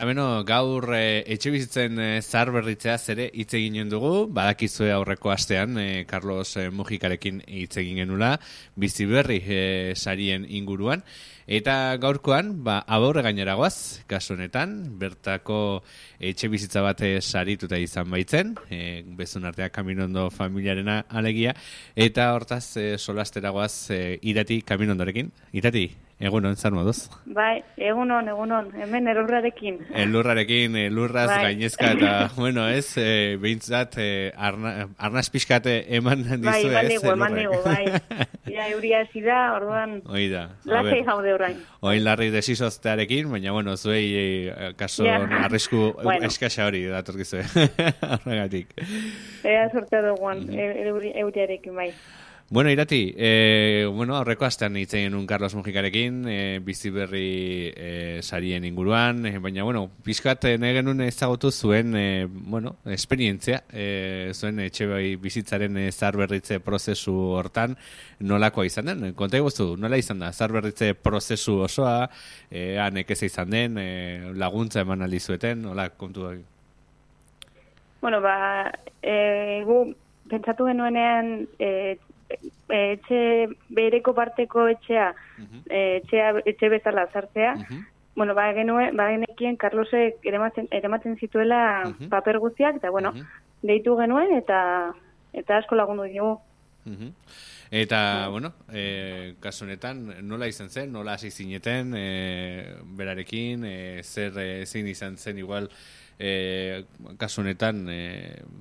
Beno, gaur etxebizitzen zaharberritzeaz ere hitz eginen dugu, badakizue aurreko astean Carlos Mujikarekin hitz egin genula, bizi berri sarien inguruan, eta gaurkoan, aborre gainera goaz, kasu honetan, bertako etxebizitza bat sarituta izan baitzen, bezun artea Kaminondo familiarena alegia, eta hortaz solastera goaz Irati Kaminondorekin. Irati, egunon, zer moduz? Bai, egunon, hemen elurrarekin. Elurraz gainezka, eta, bueno, ez, behintzat, arnaz pixkate eman dizu, ez? Bai, eman digu, bai. Ja, euria hasi da, orduan, lasai jaude orain. Oin larri desizoztearekin, baina, bueno, zuei kaso arrisku eskasa hori datorkizue. Horregatik. Ea sortea duguan, euriarekin, bai. Bueno, Irati, aurreko astean hitz egin un Carlos Mujikarekin, bizi berri sarien inguruan, baina, pixkat nahi genuen ezagutu zuen, esperientzia, zuen etxe bizitzaren zaharberritze prozesu hortan, nolakoa izan den? Konta eguztu, nola izan da, zaharberritze prozesu osoa, nekeza izan den, laguntza eman aldizueten, nola kontu da? Bueno, gu pentsatu genuenean, etxe bereko parteko etxea, etxe bezala zartzea, genekien Carlosek eramaten zituela paper guztiak, eta deitu genuen, eta asko lagundu dugu. Eta, kasu honetan, nola izan zen, nola hasi zineten, berarekin, zein izan zen igual, kasu honetan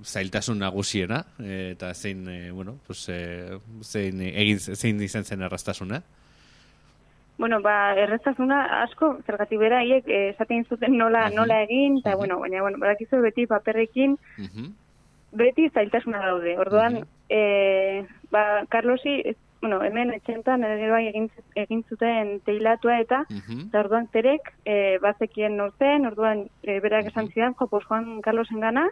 zailtasun nagusiena eta zein izan zen erraztasuna? Erraztasuna asko zergatik bera hiek esaten zuten nola egin eta baina badakizu beti paperrekin beti zailtasuna daude. Orduan Carlosi hemen etxentan egin zuten teilatua eta orduan terek bazekien nortzen, orduan berak esan zidan, Juan Carlosen gana,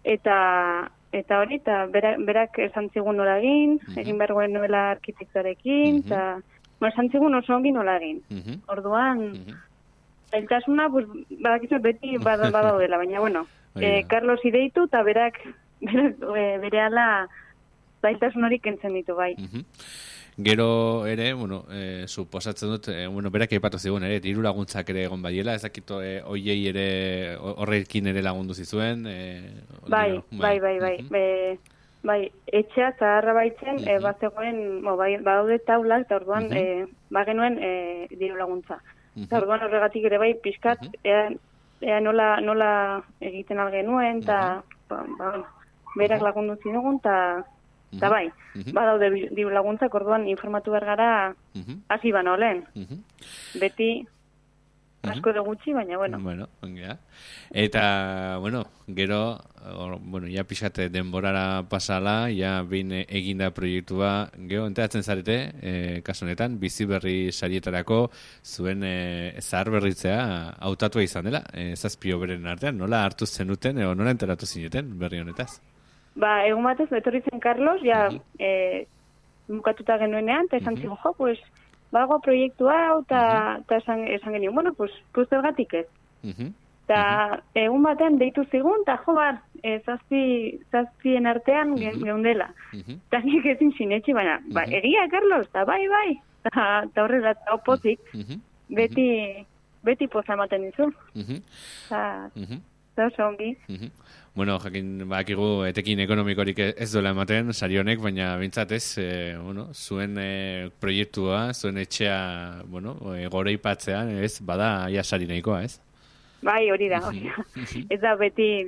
eta hori, eta berak esan zigun nola egin behargoen nola arkitektorekin, eta esan zigun oso ongi nola egin. Orduan, zailtasuna, badakizu beti badaudela, baina, Carlos ideitu, eta berak berehala zailtasun hori kentzen ditu, bai. Gero ere, suposatzen dut, berak aipatu zigun ere, diru laguntzak ere egon badiela, ez dakit oiei ere, horrekin ere lagundu zizuen? Bai. Etxea zaharra baitzen, bazegoen, badaude taulak, eta orduan, bagenuen diru laguntza. Eta orduan horregatik ere bai, pixkat, ea nola egiten algenuen, eta berak lagundu zinugun, eta bai, badaude diru laguntzak, orduan informatu behar gara hasi bano lehen. Beti asko de gutxi, baina, Eta, gero, ja pixate denborara pasala, ja behin eginda proiektua, gero, enteratzen zarete, kasu honetan, bizi berri sarietarako zuen zaharberritzea hautatua izan dela, zazpio beren artean, nola hartu zenuten, nola enteratu zineten berri honetaz? Egun batez, etorri zen Carlos, bukatuta genuenean, eta esan zigun, bago proiektu hau, eta esan genuen, zergatik ez. Eta egun batean deitu zigun, eta zazpien artean geundela. Eta nik ezin sinetxi, baina, egia, Carlos, eta bai, eta horrela, eta opozik, beti poza ematen dizu. Eta oso ongi. Jakin bakigu etekin ekonomikorik ez duela ematen, sari honek, baina bintzat ez, zuen proiektua, zuen etxea, gore ipatzean, ez, bada ia sari nahikoa, ez? Bai, hori da. Ez da beti,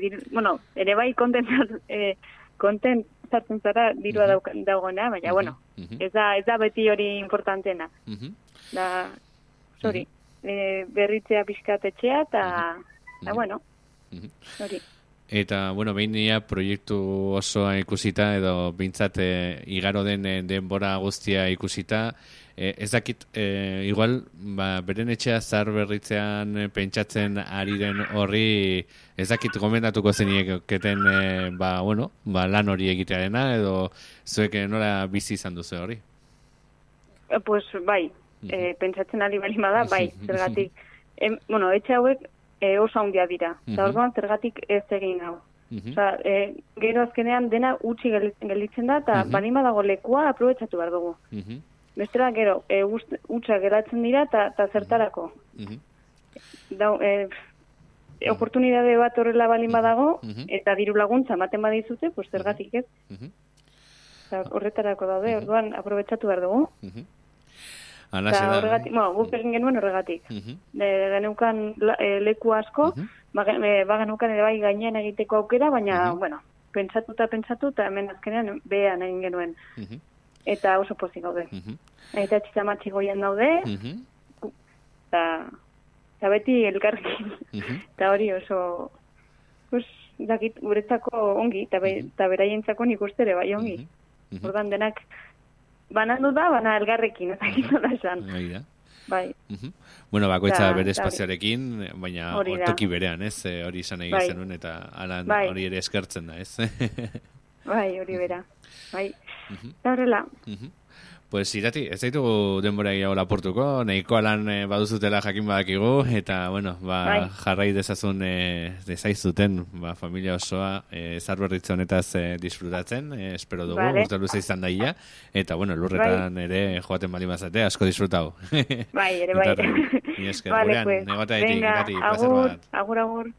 ere bai kontent zartzen zara dirua daugona, baina, ez da beti hori importantena. Da, sorry, berritzea pixkat etxea, eta, hori. Eta, behin proiektu osoa ikusita, edo bintzat igaro den denbora guztia ikusita, ez dakit, igual, beren etxea zaharberritzean pentsatzen ari den horri, ez dakit gomendatuko zenieketen, lan hori egitearena, edo zuek nola bizi izan duzu hori? Pues, bai, pentsatzen ari bali bada, bai, zergatik. Etxe hauek, oso handia dira. Eta orduan zergatik ez egin hau. Osa, gero azkenean dena utzi gelditzen da, eta balima dago lekua aprobetsatu behar dugu. Bestela, gero, utza geratzen dira, eta zertarako. Oportunidade bat horrela balima dago, eta diru laguntza ematen badizute, pues zergatik ez. Horretarako daude, orduan aprobetsatu behar dugu. Eta horregatik, guk egin genuen horregatik. Geneukan leku asko, geneukan ere bai gainean egiteko aukera, baina, bueno, pentsatu eta hemen azkenean behan egin genuen. Eta oso pozik gaude. Eta txitamatxi goian daude, eta beti elkarrekin. Eta hori oso, dakit, guretzako ongi, eta beraientzako nik uste ere bai ongi. Ordan denak, banandu da, bana elgarrekin, eta gizola esan. Bai. Bueno, bakoitza bere espazioarekin, baina ortoki berean, ez? Hori izan egin zenuen, eta hori ere eskertzen da, ez? Bai, hori bera. Bai. Eta horrela. Pues irati, ez zaitugu denbora gehiago laportuko, nahiko lan baduzutela jakin badakigu, eta, bueno, jarrai dezazun dezaizuten, familia osoa Zaharberritze honetaz disfrutatzen, espero dugu, urte luze izan daia, eta, bueno, lurretan ere joaten bali mazate, asko disfrutau. Bai, ere bai. Ni esker, gurean, negota etik, irati, placer bat. Agur.